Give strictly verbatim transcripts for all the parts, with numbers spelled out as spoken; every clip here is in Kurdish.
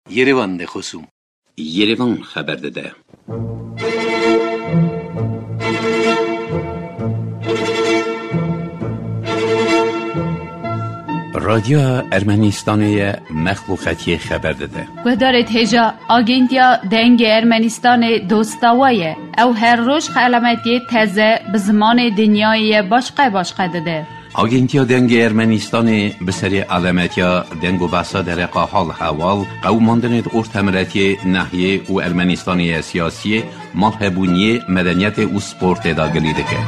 Yerevan de xosûm. Yerevan xeber dide. Radyoya Ermenistanê ye, mexluqetiyê xeber dide. Guhdarê hêja, Agentiya Dengê Ermenistanê dosta we ye. Ew her roj xelametiyê teze bi zimanê dinyayê ye başqe başqe dide. Agentiya Dengê Ermenistanê bi serê alemetiya deng û behsa dereqa hal hewal, qewimandinê di ortemiretiyê, nehiyê û Ermenistanê ye siyasiyê, malhebûniyê, medeniyetê û sportê de gilî dike.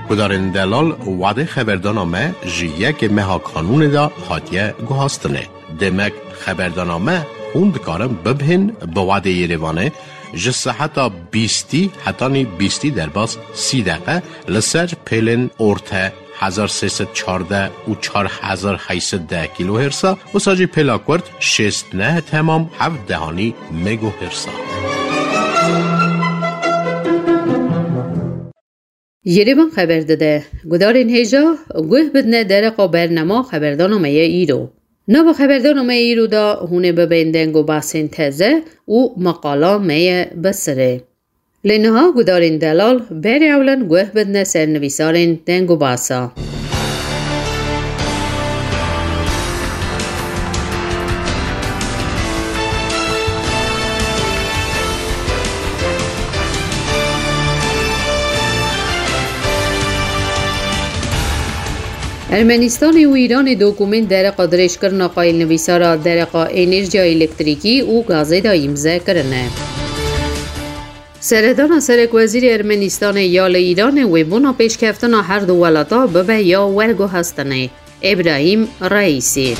Gudarên delal, wadê xeberdana me ji yekê meha kanûnê de hatiye guhastinê. Demek xeberdana me hûn dikarin bibihên bi wadê Yerevanê ji seheta bîstî hetanî bîstî derbas sî deqe li ser pêlên orte hezar sê sed çardeh û çar hezar heyt sed deh kîlohêrsa, wisa jî pêla kurt şêst neh temam heft dehanî megohêrsa. Yerevan xeber dide, gudarên hêja guh bidine dereqa bernama xeberdana me ye îro. Nava xeberdana me ye îro de hûn ê bibên deng û behsên teze û meqala me ye bi sirê. Lê niha gudarên delal berê ewlen guh bidine sernivîsarên deng û behsa. Ermenistanê û Îranê dokumên dereqa dirêjkirina qayîlnivîsara dereqa enerjiya elektrîkî û gazê de îmze kirine. Seredana serekwezîrê Ermenistanê ya li Îranê wê bona pêşkeftina her du welata bibe ya werguhestinê, Îbrahîm Reîsî.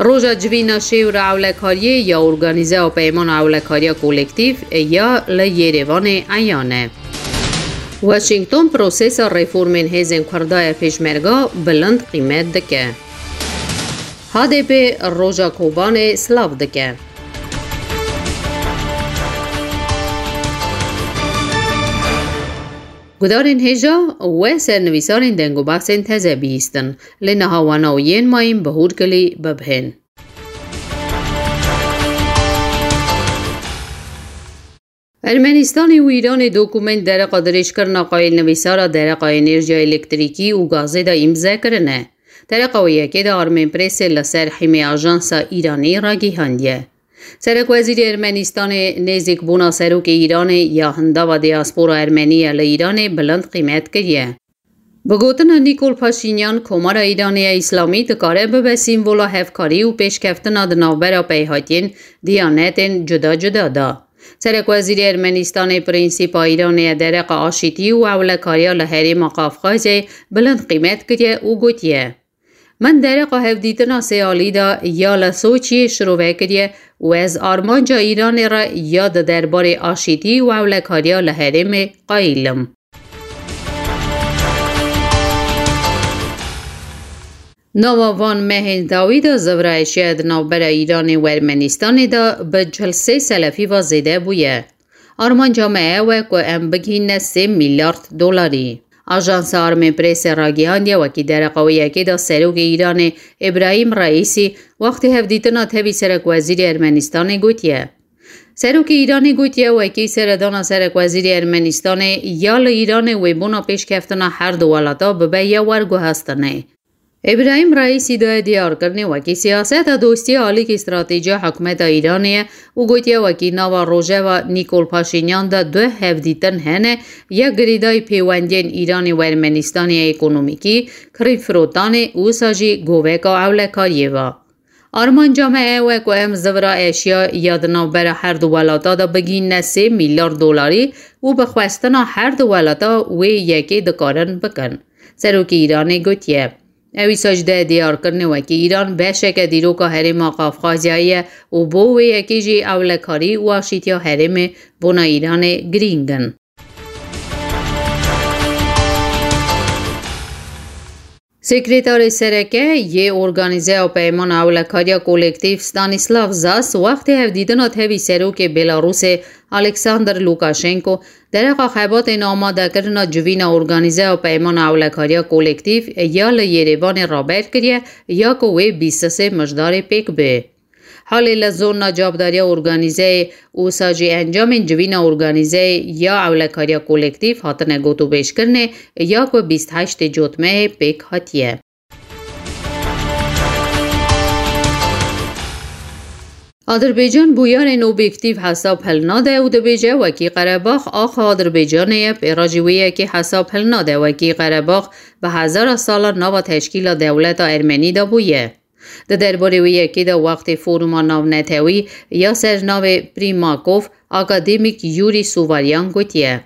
Roja civîna şêwra ewlekariyê ya Organîzeya Peymana Ewlekariya Kolektîf ya li Yerevanê eyan e. Washington prosesa reformên hêzên Kurda ya Pêşmerga bilind qîmet dike. H D P roja Kobanê silav dike. Gudarên hêja we sernivîsarên deng û behsên teze bihîstin, lê niha wana û yên mayîn bi hûrkilî bibihên. Ermenistanê û Îranê dokumên dereqa dirêjkirina qayîlnivîsara dereqa enerjiya elektrîkî û gazê de îmze kirine. Dereqa wê yekê de Armenpressê li ser hîmê ajansa Îranî ragihandiye. Serekwezîrê Ermenistanê nêzîkbûna serokê Îranê ya hindava diaspora Ermenî ya li Îranê bilind qîmet kiriye. Bi gotina Nîkol Paşînyan, Komara Îranê ya Îslamî dikare bibe sîmvola hevkarî û pêşkeftina di navbera peyhatiyên diyanetên cuda cuda de. Serekwezîrê Ermenistanê prensîpa Îranê ya dereqa aşîtî û ewlekariya li herêma Qafqazê bilind qîmet kiriye û gotiye, Min dereqa hevdîtina sê alî de ya li Soçiyê şirove kiriye û ez armanca Îranê re ya di derbarê aşîtî û ewlekariya li herêmê qayîl im. Nava van mehên dawî de zivra eşya di navbera Îranê û Ermenistanê de bi çil sê selefî ve zêde bûye. Armanca me ew e ku em bigihîne sê milyard dolarî. Ajansa Armenpressê ragihandiye, wekî dereqa wê yekê de serokê Îranê Îbrahîm Reîsî wextê hevdîtina tevî serekwezîrê Ermenistanê gotiye. Serokê Îranê gotiye, wekî seredana serekwezîrê Ermenistanê ya li Îranê wê bona pêşkeftina her du welata bibe ya werguhestinê. Îbrahîm Reîsî daye diyarkirinê, wekî siyaseta dostî ya alîkî stratejî ya hikûmeta Îranê ye û gotiye, wekî nava rojeva Nîkol Paşînyan de du hevdîtin hene, ya girêdayî pêwendiyên Îranê û Ermenistanê ya ekonomîkî, kirînfirotanê û wisa jî goveka ewlekariyê ve. Armanca me ew e ku em zivra eşya ya di navbera her du welata de bigihîne sê milyar dolarî û bi xwestina her du welata wê yekê dikarin bikin. Serokê Îranê gotiye, Ew îsaj de diyarkirinê wekî Îran beşeke dîroka herêma Qafqazyayê ye û bo wê yekê jî ewlekarî û aşîtiya herêmê bona Îranê girîng in. Sekretarê Sereke yê Organîzeya Peymana Ewlekariya Kolektîf Stanislav Zas wextê hevdîtina tevî serokê Belarusê Alexander Lukashenko dereqa xebatên amadekirina civîna Organîzeya Peymana Ewlekariya Kolektîf ya li Yerêvanê raber kiriye ya ku wê bîst sê mijdarê pêk bê. Halê li zona cavdariya organîzeyê û wisa jî encamên civîna organîzeyê ya ewlekariya kolektîf hatine gotûbêjkirinê ya ku bîst heştê cotmehê pêk hatiye. Adirbaycan bûyerên obyektîf hesab hilnade û dibêje, wekî Qerebax axa Adirbaycanê ye, pê re jî wê yekê hesab hilnade, wekî Qerebax bi hezara salan nava teşkîla dewleta Ermenî de bûye. Di derbarê wê yekê de wextê foruma navnetewî ya ser navê Primakov, akademîk Yurî Suvaryan gotiye.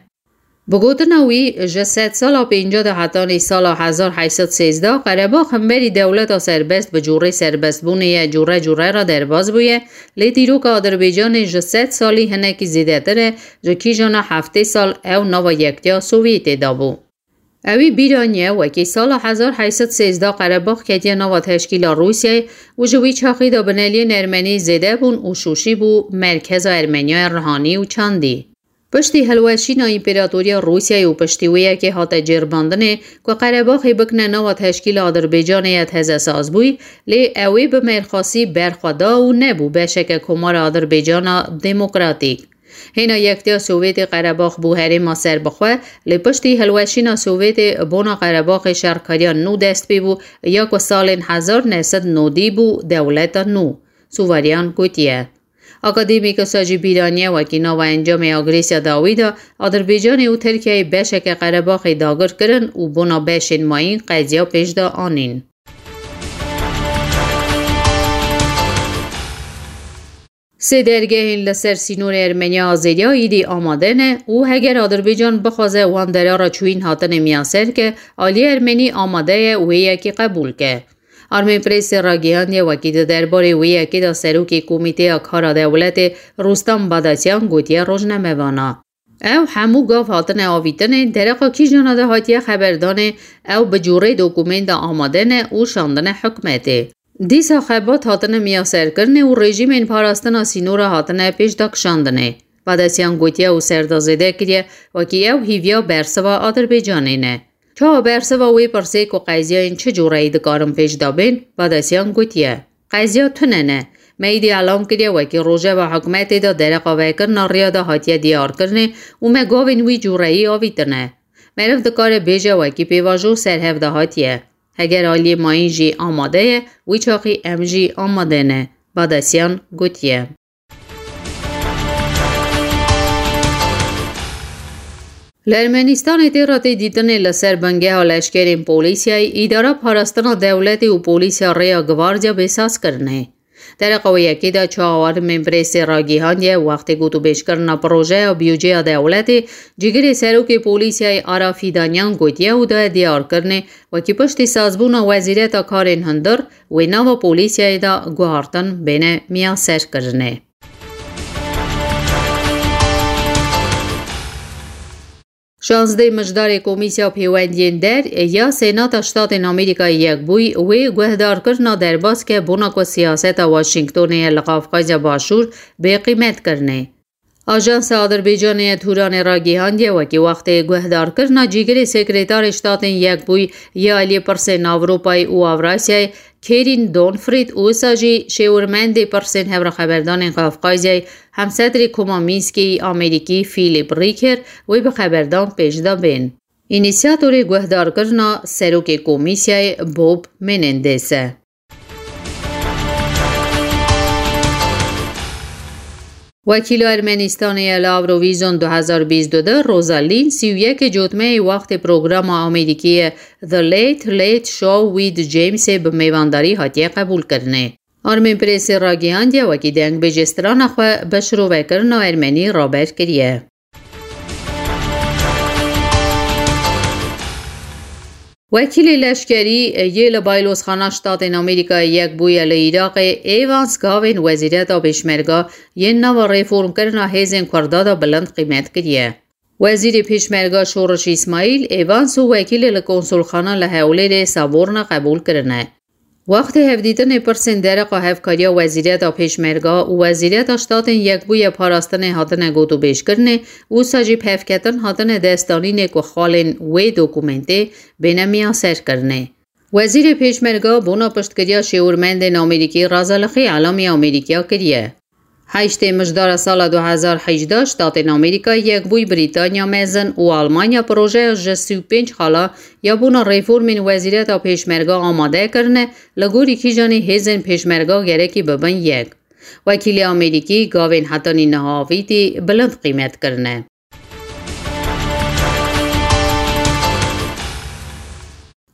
Bi gotina wî, ji sedsala pêncî de hetanî sala hezar heyt sed sêzdeh Qerebax hemberî dewleta serbest bi cûrê serbestbûnê ye cûre cûre re derbas bûye, lê dîroka Adirbaycanê ji sed salî hinekî zêdetir e, ji kîjana heftê sal ew nava Yektiya Sovyetê de bû. Ewî bîra niye, wekî sala hezar heyt sed sêzdeh Qerebax ketiye nava teşkîla Rûsyayê û ji wî çaxî de bineliyên Ermenî zêde bûn û Şûşî bû merkeza Ermeniyayê rihanî û çandî. Piştî hilweşîna Împeratoriya Rûsyayê û piştî wê yekê hate cêrbandinê ku Qerebaxê bikine nava teşkîla Adirbaycanê ye tezesaz bûyî, lê ew ê bi mêrxasî berxwe da û nebû beşeke Komara Adirbaycana Demokratîk. Hêna Yektiya Sovyetê Qerebax bû herêma serbixwe, lê piştî hilweşîna Sovyetê bona Qerebaxê şerkariya nû dest pê bû, ya ku salên hezar neh sed nodî bû dewleta nû. Suvaryan gotiye. Akademîk wisa jî bîra niye, wekî nava encamê agresiya dawî de Adirbaycanê û Tirkiyeyê beşeke Qerebaxê dagir kirin û bona beşên mayîn qeziya pêş de anîn. Sê dergehên li ser sînorê Ermeniya Azeriya îdî amade ne û heger Adirbaycan bixwaze wan dera re çûyîn hatine miyaser ke, aliyê Ermenî amade ye wê yekê qebûl ke. Armên Presê ragihandiye, wekî di derbarê wê yekê de serokê Komîteya Kara Dewletê Rustam Badasyan gotiye rojnamevana. Ew hemû gav hatine avîtinê, dereqa kîjana de hatiye xeberdanê, ew bi cûrê dokûmenta amade ne û şandine hikûmetê. Dîsa xebat hatine miyaserkirinê û rejîmên parastina sînora hatine pêşdakişandinê. Badasyan gotiye û ser de zêde kiriye, wekî ew hîviya bersiva Adirbaycanê ne. Çawa bersiva wê pirsê ku qeziyayên çi cûreyî dikarin pêş de bên, Badasyan gotiye, qeziya tune ne. Me îdî elan kiriye, wekî rojeva hikûmetê de dereqa vekirina riya de hatiye diyarkirinê û me gavên wî cûreyî avîtine. Meriv dikare bêje, wekî pêvajo serhev de hatiye. Heger aliyê mayîn jî amade ye, wî çaxî em jî amade ne, Badasyan gotiye. Li Ermenistanê tê re tê dîtinê li ser bingeha leşkerên polîsiyayê, îdara parastina dewletê û polîsiya rêya gvardiya bêsaz kirine. Dereqa wê yekê de çawa armên presê ragihandiye, wextê gotûbêjkirina projeya biyûceya dewletê, cîgirê serokê polîsiyayê Ara Fîdanyan gotiye û daye diyarkirinê, wekî piştî sazbûna wezîreta karên hundir, wê nava polîsiyayê de guhartin bêne miyaserkirinê. Şazdeh mijdarê Komîsya Pêwendiyên Der ya Senata Ştatên Amerîkayê Yekbûyî wê guhdarkirina derbas ke bona ku siyaseta Washingtonê ye li Qafqazya Başûr bê qîmet kirinê. Ajansa Adirbaycanê ya Turanê ragihandiye, wekî wextê guhdarkirina cîgirê Sekretarê Ştatên Yekbûyî ya aliyê pirsên Ewropayê û Ewrasyayê Kerîn Donfrîd û wisa jî şêwirmendê pirsên hevreheberdanên Qafqazyayê, hemsedrê Koma Mînskê yî Amerîkî Philip Riker wê bi xeberdan pêş de bên. Înîsyatorê guhdarkirina serokê komîsyayê Bob Menendez e. Wekîla Ermenistanê ya li Eurovision du hezar bîst û du Rosa Lin sî û yekê cotmeyê wextê programa Amerîkî ye The Late Late Show with Jamesê bi mêvandarî hatiye qebûlkirinê. Armên Presê ragihandiye, wekî dengbêjê strana xwe bi şirovekirina Ermenî raber kiriye. Wekîlê leşkerî yê li Baylozxana Ştatên Amerîkayê Yekbûyî li Iraqê Evans gavên Wezîreta Pêşmerga yên nava reformkirina hêzên Kurda de bilind qîmet kiriye. Wezîrê Pêşmerga Şoreş Îsmaîl, Evans û wekîlê li konsulxana li Hewlêrê Saborna qebûl kirine. Wextê hevdîtinê pirsên dereqa hevkariya Wezîreta Pêşmerga û Wezîreta Ştatên Yekbûyî ya Parastinê hatine gotûbêjkirinê, wisa jî bi hevketin hatine destdanînê ku xalên wê dokumentê bêne miyaserkirinê. Wezîrê Pêşmerga bona piştgiriya şêwirmendên Amerîkî Razalixî elamî Amerîkaya kiriye. Heştê Mijdara sala du hezar hejdeh, Ştatên Amerîka Yekbûyî Brîtanya Mezin û Almanya projeya ji sî û pênc xala ya bona reformên Wezîreta Pêşmerga amade kirine, li gorî kîjanî hêzên Pêşmerga gerekî bibin yek. Wekîlê Amerîkî gavên hetanî niha avîtî bilind qîmet kirine.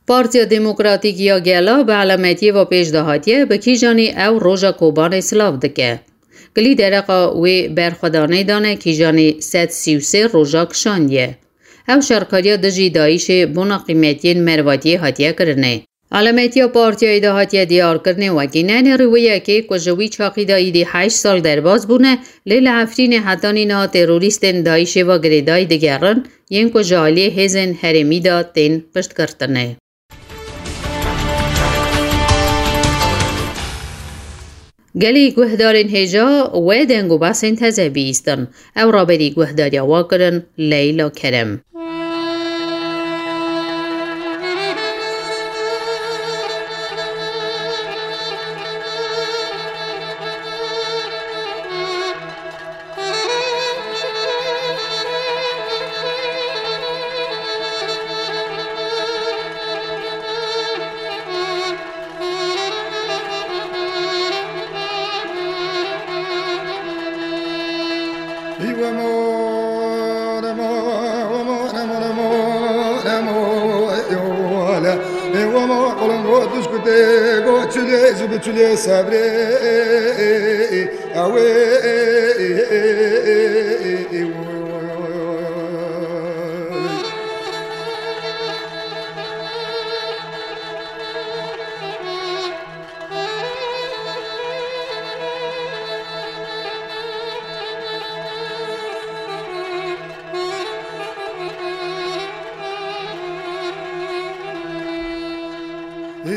Partiya Demokratîk ya Gela bi elametiyê ve pêş de hatiye, bi kîjanî ew roja Kobanê silav dike. Gilî dereqa wê berxwedanê dane, kîjanî sed sî û sê roja kişandiye. Ew şerkariya dijî DAIŞê bona qîmetiyên mervatiyê hatiye kirinê. Elametiya partiyayê de hatiye diyarkirinê wekî nenêrî wê yekê ku ji wî çaxî de êdî heşt sal derbas bûne, lê li Efrînê hetanî niha terorîstên DAIŞê ve girêdayî digerin, yên ku ji aliyê hêzên herêmî de tên piştgirtinê. Gelî guhdarên hêja wê deng û behsên teze bihîstin. Ew raberî guhdariya we kirin Leyla Kerem.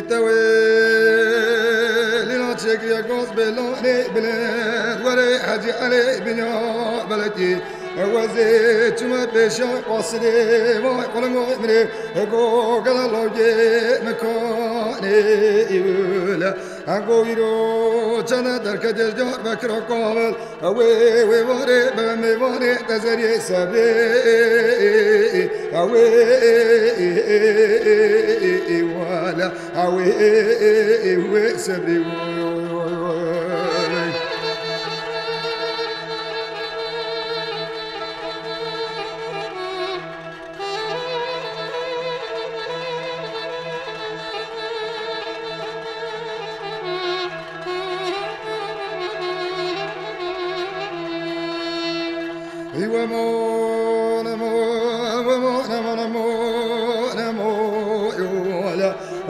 Îtewê lîla çêkiriye gaz bê lanê bilind, werê Hecî Elê binya belekî. Wezê çime pêşa qasidê, vay qulungo mirê, ego gela logê mikanê îwile. Ego îro çene derketê Diyarbekira kavel, wê, wê warê be mêvanê tezeriyê sebrê, wê, wê, wê sebrê.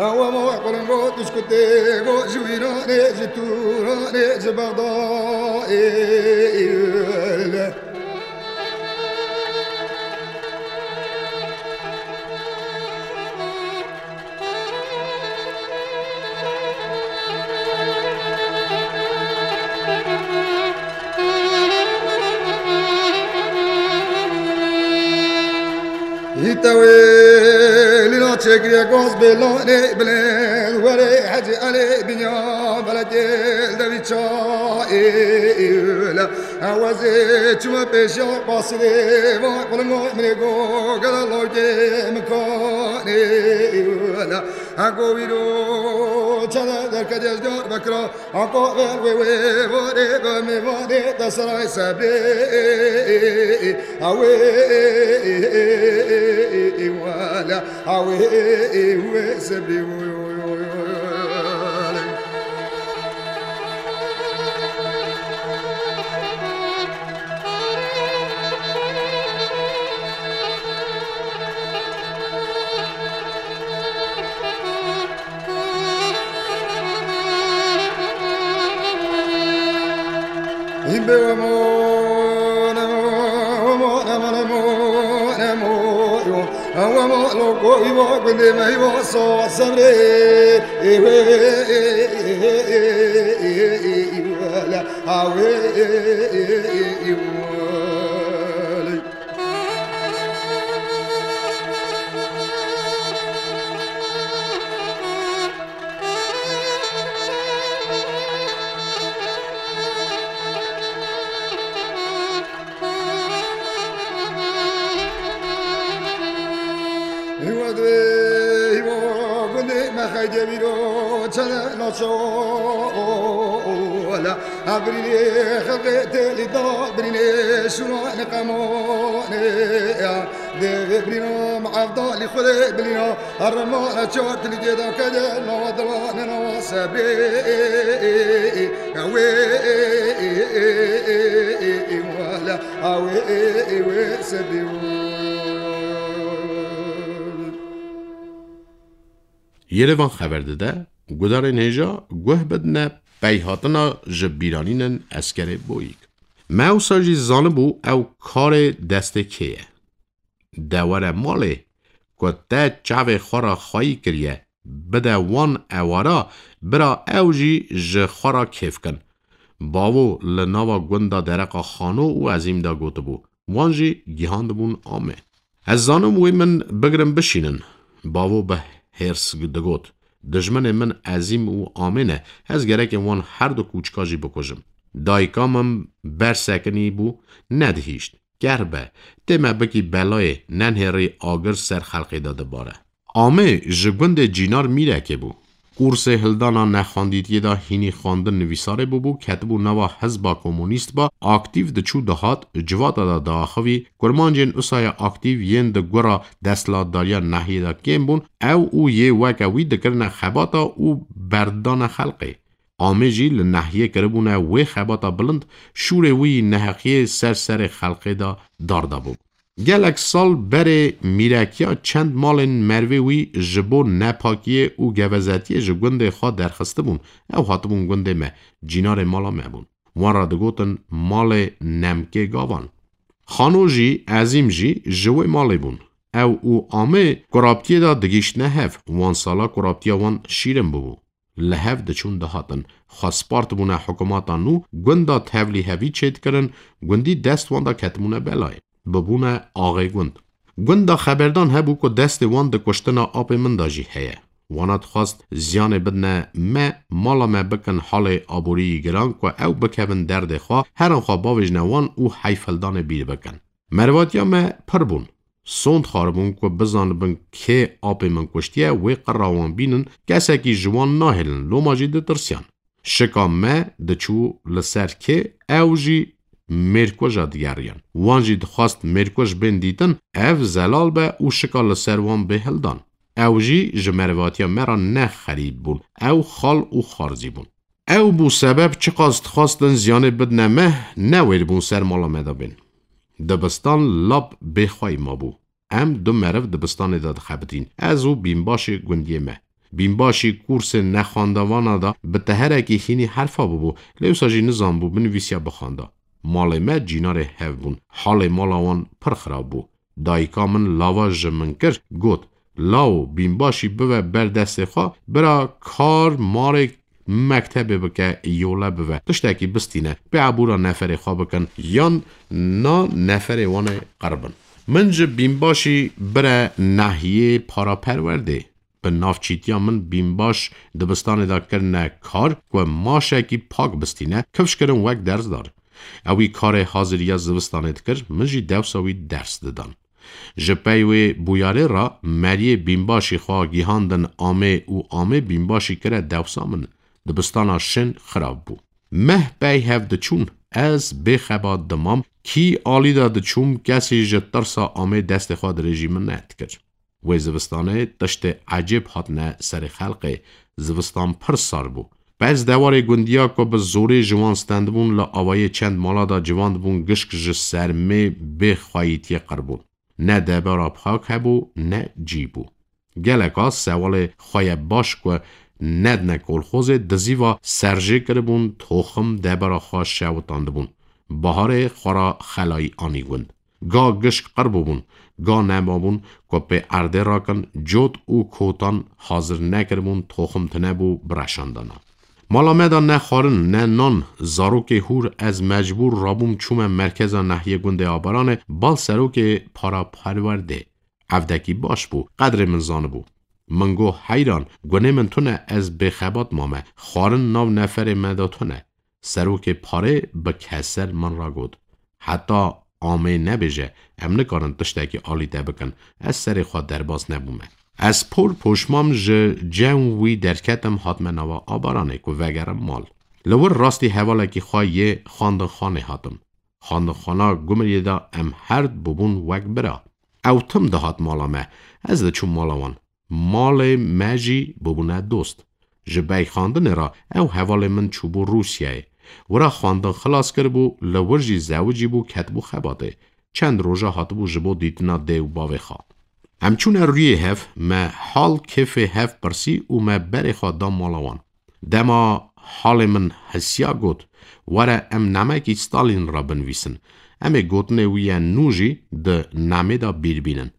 Ewa mo qulungo tişkutê go ji Îranê, ji Tûranê, ji Bexdayê. Îtewê lîla çêkiriye gaz bê lanê bilind, werê Hecî Elê binya belekê devî çayê. Ewezê çûme pêşiya qasirê, vay qulimo minê go gela lawkê mikanê. Heko wîro çene derketiye ji Diyarbekira, heko ver wê wê varê be mêvanê te seray sebrê. Ewê wele, ewê wê sebrê. Çene naço la, a birînê xelqê têlî da, birînê şûran qemonê ya. Dê vê birîna, evdalî xwedê bilîna, herrema çar tilî tê da kede, nava dilanê nava sebrê. Wê, wala, a wê, wê sebrê. Yerevan xeber dide, gudarên hêja guh bidine peyhatina ji bîranînên eskerê Boyîk. Me ewsa jî zanibû ew karê destê kê ye. De were malê, ku te çavê xwe re xweyî kiriye, bide wan ewara, bira ew jî ji xwe re kêf kin. Bavo li nava gund de dereqa Xano û Ezîm de gotibû. Wan jî gihandibûn Amê. Ez zanim wê min bigirin bişînin. Bavo bi hêrs digot. Dijminê min Ezîm û Amê ne. Ez gereke wan her du kûçika jî bikujim. Dayika min ber sekinî bû, nedihîşt. Ker be, tê me bikî belayê, nenhêrî agir ser xelqê de dibare. Amê ji gundê Cînar Mîrekê bû. Kursê hildana nexwendîtiyê de hînî xwendin nivîsarê bûbû, ketibû nava hizba komûnîst ba, aktîf diçû dihat, civata de diaxivî, kurmancên usaya aktîf yên di gura desthilatdariya nehiyê de kêm bûn, ew û yê weke wî dikirine xebata û berdana xelqê. Amê jî li nehiyê kiribûne wê xebata bilind, şûrê wî neheqiyê ser serê xelqê de dar dabû. Gelek sal berê mîrekiya çend malên mervê wî ji bo nepakiyê û gevezetiyê ji gundê xwe derxistibûn. Ew hatibûn gundê me, cînarê mala me bûn. Wan re digotin malê Nemkê Gavan. Xano jî, Ezîm jî ji wê malê bûn. Ew û Amê kuraptiyê de digihîştine hev. Wan sala kuraptiya wan şîrin bûbû. Li hev diçûn dihatin. Xwe spartibûne hikûmeta nû, gunda tevlî hevî çêdikirin, gundî dest wan de ketibûne belayê. Bibûne axê gund. Gunda xeberdan hebû ku destê wan di kuştina apê min de jî heye. Wana dixwest ziyanê bidine me, mala me bikin halê aboriyî giran ku ew bikevin derdê xwe, herin xwe bavêjine wan û heyfhildanê bîr bikin. Merivatiya me pir bûn. Sond xwaribûn ku bizanibin kê apê min kuştiye, wê qira wan bînin, kesekî ji wan nahêlin, loma jî ditirsiyan. Şika me diçû li ser kê, ew jî mêrkuja digeriyan. Wan jî dixwest mêrkuj bên dîtin, ev zelal be û şika li ser wan bê hildan. Ew jî ji merivatiya me re ne xerîb bûn, ew xal û xarzî bûn. Ew bû sebeb çiqas dixwestin ziyanê bidine me, newêr bûn ser mala me de bên. Dibistan lap bêxweyî mabû. Em du meriv dibistanê de dixebitîn, ez û bînbaşê gundiyê me. Bînbaşî kursê nexwendevana de bi teherekî hînî herfa bûbû, lê wisa jî nizanbû binivîsiya bixwenda. Malê me cînarê hev bûn, halê mala wan pir xirab bû. Dayika min lava ji min kir, got, Lawo, bînbaşî bive ber destê xwe, bira kar marê mektebê bike, yole bive, tiştekî bistîne, pê ebûra neferê xwe bikin, yan na neferê wan ê qir bin. Min ji bînbaşî bire nehiyê paraperwerdê. Bi navçîtiya min bînbaş dibistanê de kirine kar ku maşekî pak bistîne, kifş kirin wek dersdar. Ewî karê haziriya zivistanê dikir, min jî dewsa wî ders didan. Ji pey wê bûyarê re meriyê bînbaşî xwe gihandin Amê û Amê bînbaşî kire dewsa min. Dibistana şin xirab bû. Meh pey hev diçûn, ez bêxebat dimam, kî alî de diçûm, kesî ji tirsa Amê destê xwe dirêjî min nedikir. Wê zivistanê tiştê ecêb hatine serê xelqê, zivistan pir sar bû. Pez dewarê gundiya ku bi zorê ji wan stendibûn li awayê çend mala de civandibûn gişk ji sermê bê xweyîtiyê qir bûn. Ne debera pak hebû, ne cî bû. Geleka sewalê xwe ye baş ku nedine kolxozê dizîva serjê kiribûn, toxim debera xwe şewitandibûn. Baharê xwe ra xelayî anî gund. Ga gişk qir bûbûn, ga nemabûn ku pê erdê rakin, cot û kotan hazir nekiribûn, toxim tine bû bireşandana. Mala me de ne xwarin, ne nan, zarokê hûr, ez mecbûr rabûm çûme merkeza nehiyê gundê Abaranê, bal serokê paraperwerdê. Evdekî baş bû, qedrê min zanibû. Min got, heyran, gunê min tune, ez bêxebat mame, xwarin nav neferê me de tune. Serokê parê bi keser min re got, heta Amê nebêje, em nikarin tiştekî alî te bikin, ez serê xwe derbas nebûme. Ez por poşmam ji cem wî derketim, hatime nava abaranê ku vegerim mal. Li wir rastî hevalekî xwe yê xwendinxanê hatim. Xwendinxana Gumriyê de em her bibûn wek bira. Ew tim dihat mala me, ez diçûm mala wan. Malê me jî bibûne dost. Ji beyxandinê re ew hevalê min çûbû Rûsyayê. Wira xwendin xilas kiribû, li wir jî zewicîbû, ketibû xebatê. Çend roja hatibû ji bo dîtina dê û bavê xwe. Em çûne rûyê hev, me hal kêfê hev pirsî û me berê xwe da mala wan. Dema halê min hisiya got, "Were em namekî Stalîn re binivîsin. Em ê gotinê wî yên nû jî di namê de bîr bînin."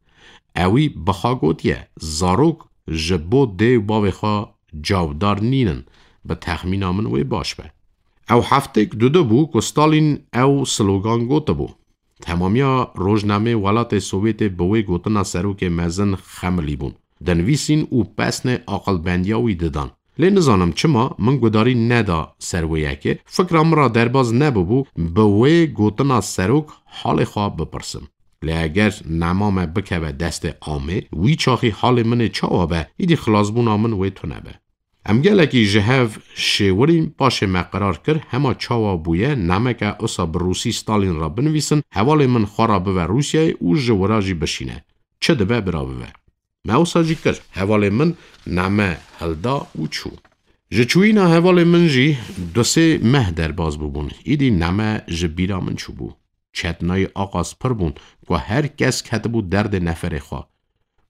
Ewî bi xwe gotiye, "Zarok ji bo dê û bavê xwe cawdar nînin." Bi texmîna min wê baş be. Ew heftêk dudu bû ku Stalîn ew slogan gotibû. Temamiya rojnameyê welatê Sovyetê bi wê gotina serokê mezin xemilî bûn. Dinivîsîn û pesnê aqilbendiya wî didan. Lê nizanim çima min gudarî neda ser wê yekê, fikra min re derbaz nebûbû, bi wê gotina serok halê xwe bipirsim. Lê eger nema me bikeve destê amê, wî çaxî halê min ê çawa be, îdî xilasbûna min wê tune be. Em gelekî ji hev şêwirîn, paşê me qerar kir, hema çawa bûye, nameke usa bi rûsî Stalîn re binivîsin, hevalê min xwe re bive Rûsyayê û ji wira jî bişîne. Çi dibe bira bive. Me wisa jî kir. Hevalê min name hilda û çû. Ji çûyîna hevalê min jî du sê meh derbas bûbûn. Îdî name ji bîra min çûbû. Çetnayî aqas pir bûn ku her kes ketibû derdê neferê xwe.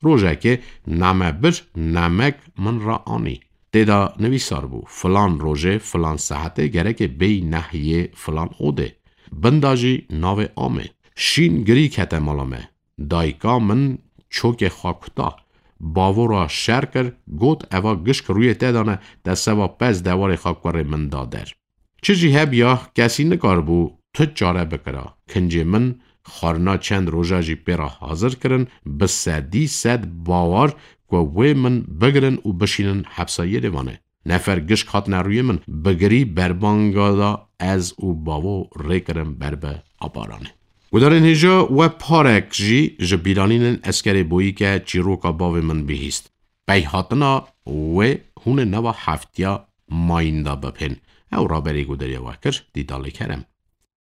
Rojekê name bir, namek min re anî. Tê de nivîsar bû, "Filan rojê, filan saetê gerekê bêyî nehiyê filan odê." Bin de jî navê amê. Şîn girî kete mala me. Dayika min çokê xwe kuta. Bavo re şer kir, got, "Eva gişk rûyê te de ne, te seva pez dewarê xwe kurê min da der." Çi jî hebiya, kesî nikaribû tu çare bikira. Kincê min xwarina çend roja jî pê re hazir kirin, bi sedî sed bawar ku wê min bigirin û bişînin hepsa Yêrêvanê. Nefer gişk hatine rûyê min, bi girî berbanga da ez û bavo rê kirin ber bi abaranê. Gudarên hêja we parek jî ji bîranînên eskerê boyî ke çîroka bavê min bihîst. Pey hatina wê hûn ê nava heftiya mayîn de bipên. Ew raberî guderiya we kir, Dîdalê Kerem.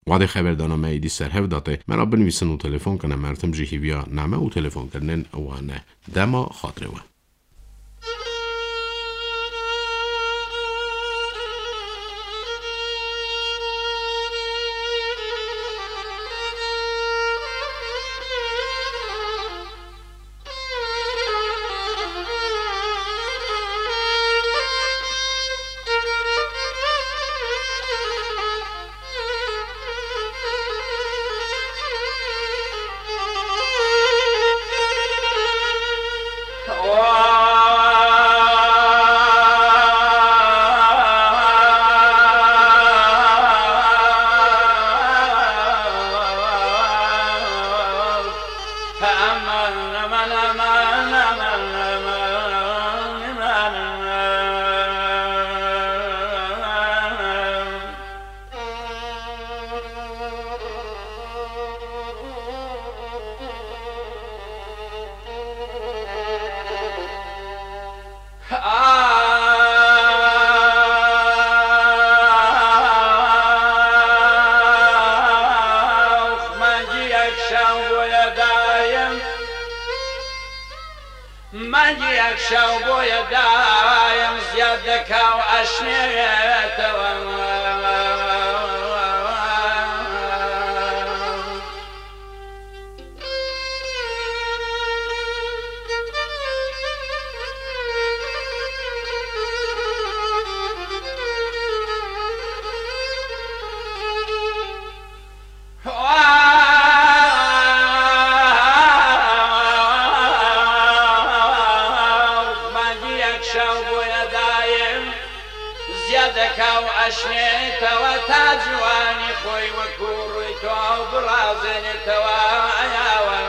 Wadê xeberdana me êdî ser hev datê. Me re binivîsin û telefon kine. Mertim jî hîviya name û telefonkirinên we ne. Dema xatirê we. Ax, mengî yek şew bûye dayim. Mengî yek şew bûye dayim, ziyad dike û eşnêtewem. Mengî yek şew bûye dayim, ziyadeke û eşnêtewe ta ciwanî xwe wekû rûyê to ew birazênêtewe eyawe.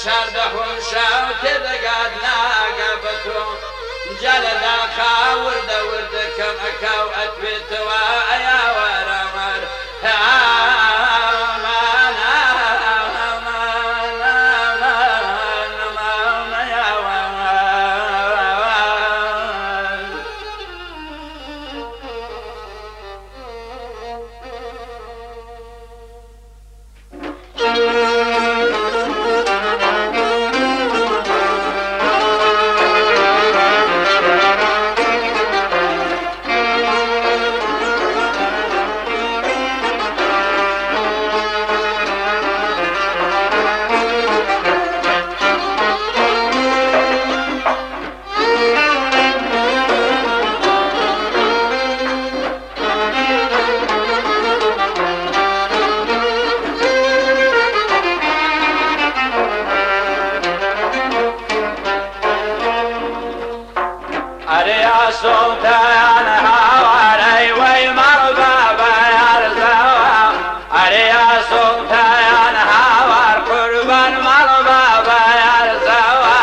Çardeh û şew têdigat nage bi to. Cele daxa wirde wirde kem ekaw etwê tewa eya were mer. Aman, aman, aman, aman, eya were. Erê ya Sultan Hawar, ey wey merba beyarzewa. Erê ya Sultan Hawar, qurban merba beyarzewa.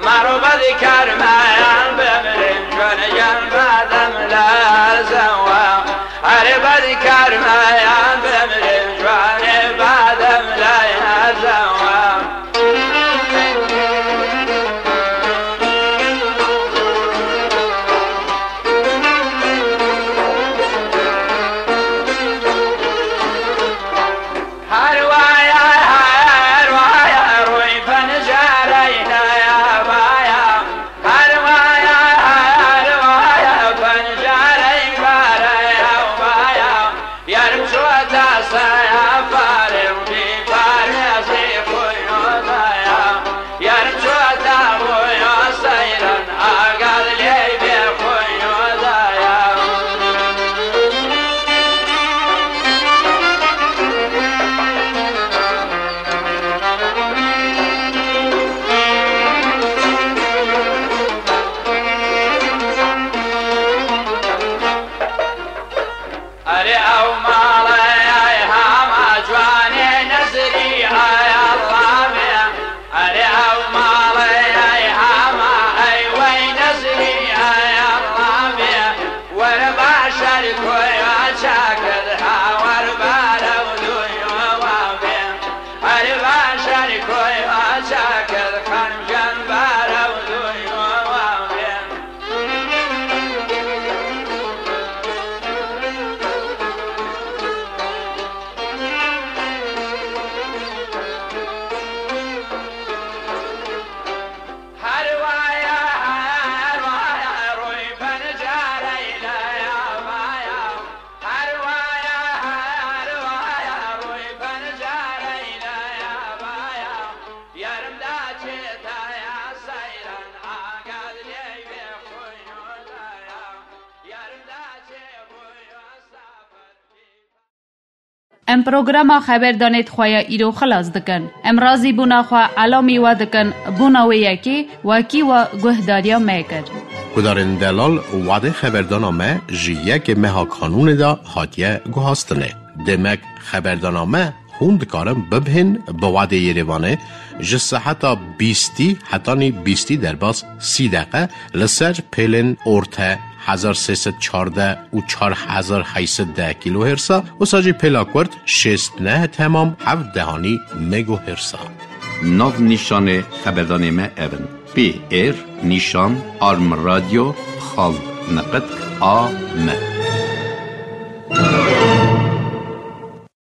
Merba dikarmeyan bimrin, jön jen badem lazewa. Erê bedikarmeyan bimrin, jwanê badem lazewa. Her waya, her waya, rûy pencereyne ya baya. Her waya, her waya, pencerey bare ya baya. Yarım çuata saya fare, bir parezi kuyuda ya. Yarım çuata boya sayran, agal leybe kuyuda ya. Erê ew malê ay hema ciwanê nezirî ay Allahê. Erê ew malê ay hema ay wey nezirî ay Allahê. Were başer koya çakir ha wer barew duyo wavê. Erê başer koya çakir xancan barew duyo wavê. Her waya, her waya, rûy pencereyle ya baya. Her waya, her waya, rûy pencereyle ya baya. Yarım da çetaya sayran, agad leybe kuyuda ya. Yarım da çe boya safar. Em programa xeberdanê xwe ya îro xilas dikin. Em razîbûna xwe elamî we dikin, bona wê yekê wekî we guhdariya me kir. Guhdarên delal, wadê xeberdana me ji yekê meha Kanûnê de hatiye guhastinê. Demek xeberdana me hûn dikarin bibihên bi wadê Yerêvanê ji seheta bîstî hetanî bîstî derbas sî deqe li ser pêlên orte hezar sê sed çardeh û çar hezar heyt sed deh kîlohêrsa, wisa jî pêla kurt şêst neh temam heft dehanî megohêrsa. Nav nîşanê xeberdanê me ev in: P R nîşan arm radio xal neqet A M.